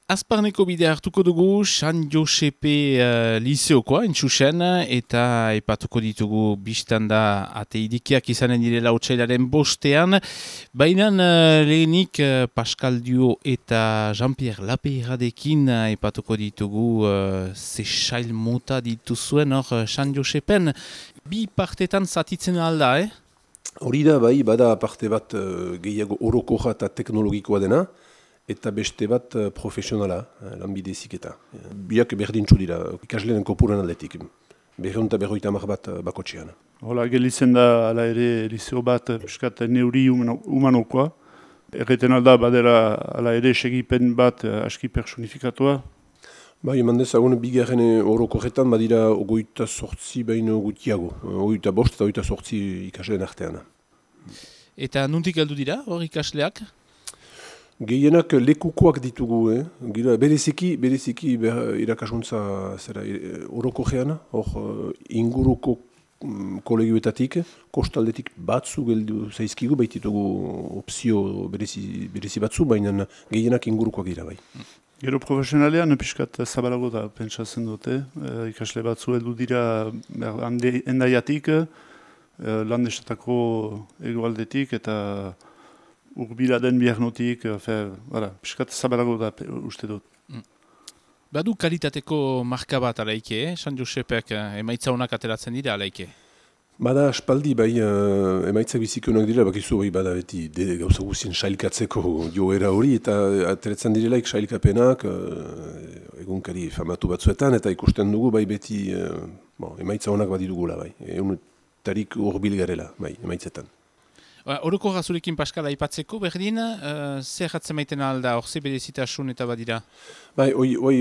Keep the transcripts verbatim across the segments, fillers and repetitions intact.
Azparneko bidea hartuko dugu San Josepe uh, Liseokoa, entxusen, eta aipatuko ditugu biztanda ateidikiak izanen direla otsailaren bostean. Baina uh, lehenik uh, Pascal Dio eta Jean-Pierre Lapeiradekin uh, aipatuko ditugu uh, ze sail mota dituzuen hor uh, San Josepen. Bi partetan zatitzen alda, eh? Hori da, bai, bada parte bat uh, gehiago orokorra eta teknologikoa dena, eta beste bat uh, profesionala, uh, lanbide heziketa. Uh, biak berdintzu dira, ikasleen kopuran aldetik. Berreun eta berroita hamar bat uh, bakotxean. Hola, gelitzen da ala ere liseo bat piskat neuri humano, humanokoa. Erreten alda badera ala ere segipen bat uh, aski personifikatua. Bai, eman dezagun, bigarren orokorretan badira ogoita sortzi baino gutiago. Ogoita bost eta ogoita sortzi ikasleen artean. Eta nuntik heldu dira hor ikasleak? Gehienak lekukoak ditugu, eh? Gira, bereziki, bereziki ber, irakasuntza zera, orokorrean, hor inguruko mm, kolegioetatik, kostaldetik batzu geldu zaizkigu, baititugu opzio berezi, berezi batzu, baina gehienak ingurukoak dira bai. Gero profesionalean piskat zabalago da pentsatzen dute, e, ikasle batzu heldu dira hande, endaiatik, e, landesatako egoaldetik eta urbila den biarnotik, piskat zabalago da uste dut. Mm. Badu kalitateko marka bat alaike, eh? San Josepek emaitza honak ateratzen dira alaike? Bada aspaldi, bai, uh, emaitzak bizikonak dira, bakizu bai bada beti de, gauza guzien sailkatzeko joera hori, eta ateratzen direlaik sailkapenak, uh, egunkari famatu batzuetan, eta ikusten dugu bai beti uh, bon, emaitza honak badidugula, bai, egunetarik urbil garela, bai, emaitzetan. Horoko gazurekin Pascal aipatzeko, berdin, uh, zer jatzen maiten alda, hor ze berezitasun eta badira? Bai, oi, oi,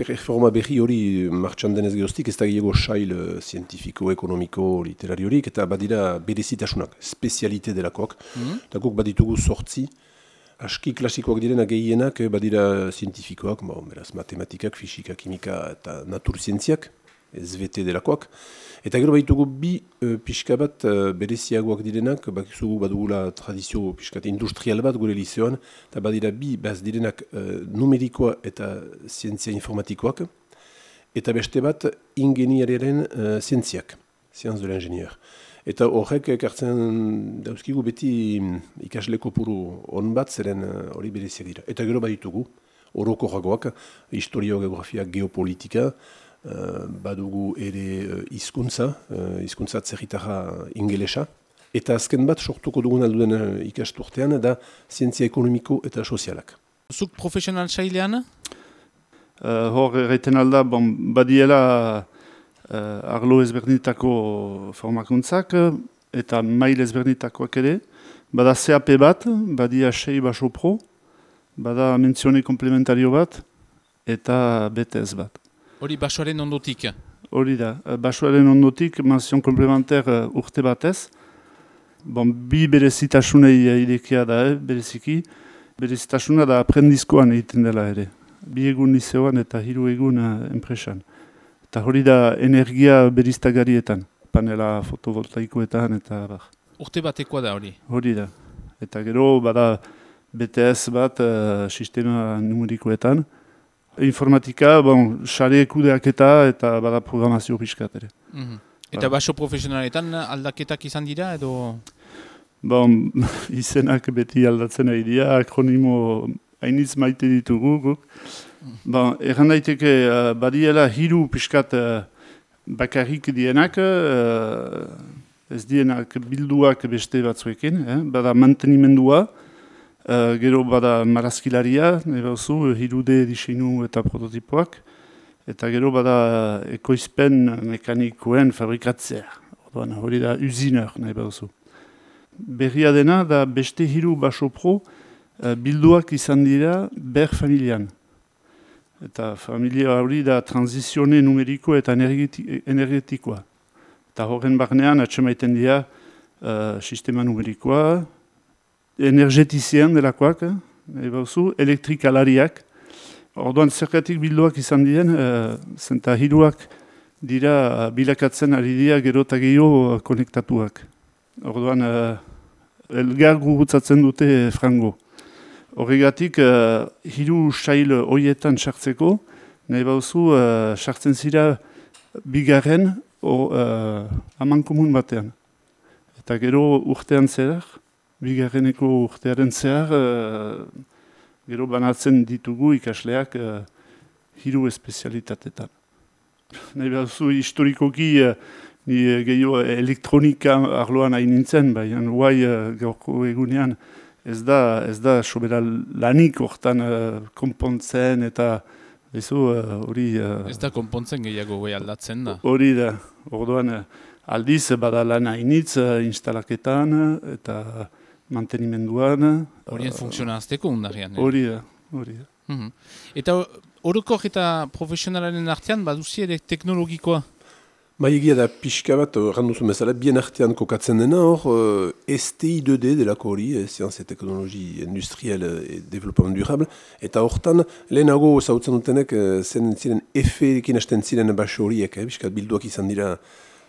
reforma berri hori martxan denez geroztik, ez da gehiago sail zientifiko, ekonomiko, literariorik, eta badira berezitasunak, spezialite delakoak, mm-hmm. eta guk baditugu sortzi, aski klasikoak direna gehienak, badira zientifikoak, bon, beraz, matematikak, fisika, kimika eta naturzientziak, S V T delakoak. Eta gero baitugu bi uh, pixka bat uh, bereziagoak direnak, bakizugu badugula tradizio pixkat industrial bat gure liseoan, eta badira bi baz direnak uh, numerikoa eta zientzia informatikoak, eta beste bat ingeniariaren uh, zientziak, science de l'ingénieur. Eta horrek ekartzen dauzkigu beti ikasle kopuru on bat zeren hori uh, bereziak dira. Eta gero baditugu, orokorragoak, historia, geografia, geopolitika, Uh, badugu ere uh, hizkuntza, uh, hizkuntza atzerritarra ingelesa. Eta azken bat sortuko dugun alduden uh, ikasturtean da zientzia ekonomiko eta sozialak. Zuk profesional sailean? Uh, hor erraiten alda, bon, badiela uh, arlo ezberdinetako formakuntzak eta mail ezberdinetakoak ere. Bada C A P bat, badia sei baso pro, bada mentzione komplementario bat eta B T S bat. Hori basoaren ondotik? Hori da, basoaren ondotik, menzion komplementer uh, urte batez. Bon, bi berezitasunei irekia da, eh, bereziki. Berezitasuna da aprendizkoan egiten dela ere. Bi egun liseoan eta hiru egun uh, enpresan. Eta hori da energia beriztagarietan, panela fotovoltaikoetan eta bar. Urte batekoa da hori? Hori da. Eta gero bada B T S bat uh, sistema numerikoetan. Informatika, bon, sare kudeaketa eta bada programazio pixkat ere. Mm-hmm. Eta baso profesionaletan aldaketak izan dira edo? Bon, izenak beti aldatzen ari dira, akronimo hainitz maite ditugu guk. Mm. Bon, erran daiteke uh, badiela hiru pixkat uh, bakarrik dienak, uh, ez dienak bilduak beste batzuekin, eh? Bada mantenimendua, Uh, gero bada marazkilaria, nebauzu, hirude diseinu eta prototipoak, eta gero bada ekoizpen mekanikoen fabrikatzea. Orduan, hori da usiner, nebauzu. Berria dena da beste hiru baso pro uh, bilduak izan dira ber familian. Eta familia hori da transizione numeriko eta energetikoa. Eta horren barnean atxemaiten dira uh, sistema numerikoa, energetizien delakoak, ebauzu, elektrikalariak. Orduan zergatik bilduak izan diren, uh, zenta hiruak dira bilakatzen ari dira gero eta gehiago konektatuak. Orduan uh, elgar gurutzatzen dute frango. Horregatik, uh, hiru sail horietan sartzeko, nahi bauzu, uh, sartzen zira bigarren uh, amankomun batean. Eta gero urtean zehar, bigarreneko urtearen zehar, uh, gero banatzen ditugu ikasleak uh, hiru espezialitatetan. Nahi bauzu, historikoki, uh, ni gehiago elektronika arloan hain nintzen, baina guai uh, gaurko egunean, Ez da, ez da sobera lanik hortan uh, konpontzen eta hori... Uh, ez da konpontzen gehiago gai aldatzen da. Hori da, orduan uh, aldiz bada lan hainitz uh, instalaketan eta mantenimenduan. Horien uh, funksiona azteko undarian. Hori da, hori da. Mm-hmm. Eta orokor eta profesionalaren artean baduzi ere teknologikoa? Ba, egia da pixka bat, randuzun bezala, bien artean kokatzen dena hor, S T I deux D delako hori, Sciences et Technologie Industrielle et Développement Durable, eta hortan, lehenago zautzen dutenek, zen ziren F-ekin hasten ziren baso horiek, eh, pixka bilduak izan dira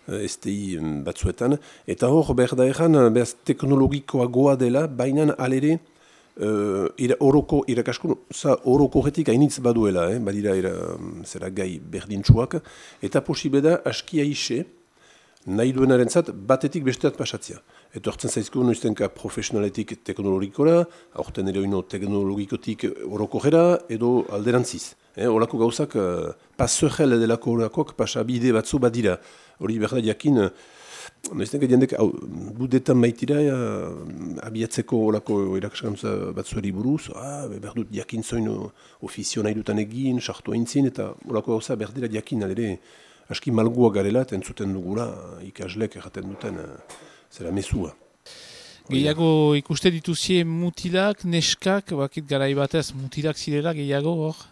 S T I batzuetan, eta hor, behar da erran, behaz teknologikoagoa dela, bainan alere, Uh, ira, oroko, irakaskun, za orokorretik hainitz baduela, eh? Badira ira, zera gai berdintsuak, eta posible da askia ise, nahi duenaren zat, batetik besteat pasatzea. Eta hortzen zaizko noiztenka profesionaletik teknologikora, aurten ere oino teknologikotik orokorera, edo alderantziz. Eh? Horako gauzak, uh, pasogel delako horakoak pasabide batzu badira. Hori behar da jakin, noiztenka jendek, budetan baitira, abiatzeko olako irakaskuntza batzueri buruz, ah, behar dut jakin zoin ofizio nahi dutan egin, sartu aintzin, eta olako gauza behar dira jakin, adere, aski malgua garela, eta entzuten dugula, ikaslek erraten duten, zera mesua. Gehiago ikuste dituzie mutilak, neskak, bakit garai batez, mutilak zirela gehiago hor?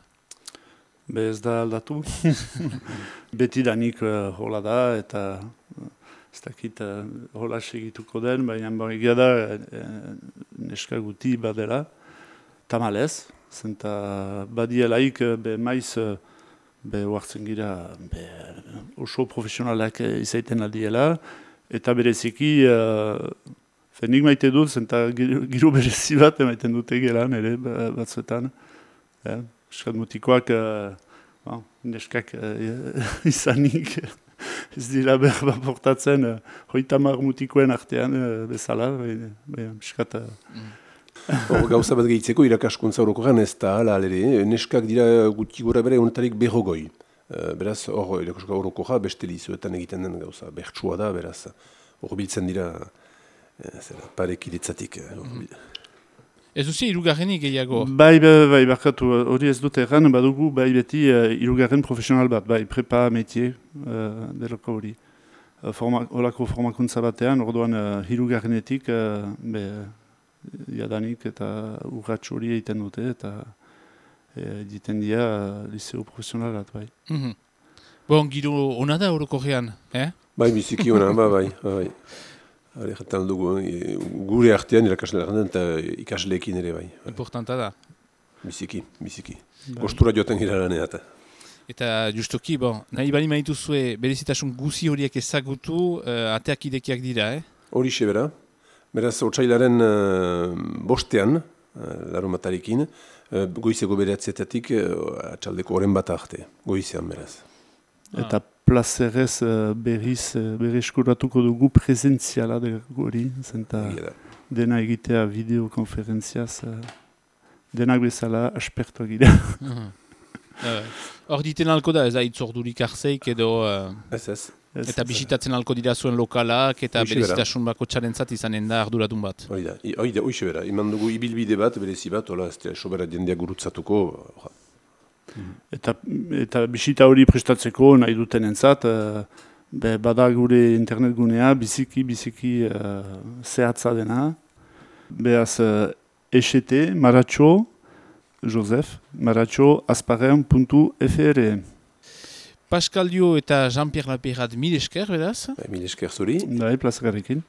Be ez da aldatu. Betidanik uh, hola da, eta... Ez dakit uh, hola segituko den, baina egia da uh, neska guti badela, tamalez, zenta badielaik uh, be maiz uh, be huartzen gira be, uh, oso profesionalak izaiten aldiela, eta bereziki, uh, fenik maite dut, zenta giro berezi bat emaiten dute gelan ere batzuetan. Eh? Eskat mutikoak, uh, bon, neskak uh, izanik, ez dira berba portatzen, uh, hoitamar mutikoen artean uh, bezala, miskat... Uh... Gauza bat gehitzeko irakaskuntza orokorrean ez da ala alere, neskak dira guti gora bere honetarik berrogoi. Uh, beraz, hor irakaskuntza orokorra beste lizuetan egiten den gauza, bertsua da, beraz, hor biltzen dira uh, parekidetzatik. Uh, Ez duzi irugarrenik gehiago? Bai, bai, bai, barkatu, hori ez dut erran, badugu, bai beti uh, irugarren profesional bat, bai, prepa metier uh, delako hori. Uh, forma, holako formakuntza batean, orduan uh, irugarrenetik, uh, be, jadanik eta urratx hori egiten dute, eta egiten uh, dira uh, liceo profesional bat, bai. Mm-hmm. Bon, giro, ona da orokorrean, eh? Bai, biziki ona, bai, bai, bai. Hale, jaten dugu, gure artean irakaslearen eta ikasleekin ere bai. Importanta da. Biziki, biziki. Gostura joaten gira laneat. Eta justoki, bon, nahi bali maituzue berezitasun guzi horiek ezagutu, uh, ateak idekiak dira, eh? Horixe bera. Beraz, otsailaren uh, bostean, uh, larumatarekin, uh, goizeko bereatzietatik uh, atxaldeko oren bat arte. Goizean beraz. Eta plazerez uh, berriz uh, berreskuratuko dugu presentziala hori, zenta dena egitea videokonferentziaz, uh, denak bezala aspertuak gira. Hor uh, diten alko da, ez da itzordurik arzeik edo... Uh, ez ez. Eta bisitatzen alko dira zuen lokalak eta berezitasun bako txarentzat izanen da arduradun bat. Hori da, hori da, hoxe bera. Iman dugu ibilbide bat, berezi bat, hola, ez da, sobera jendeak gurutzatuko... Eta, eta bisita hori prestatzeko nahi duten entzat, uh, bada gure internet gunea, biziki, biziki uh, zehatza dena. Beaz, uh, E S T, Maratxo, Josef, maratxo azparren puntu F R. Pascal Dio eta Jean-Pierre Lapeyrat mil esker, beraz? Mil esker zuri. Bai, plazagarrekin.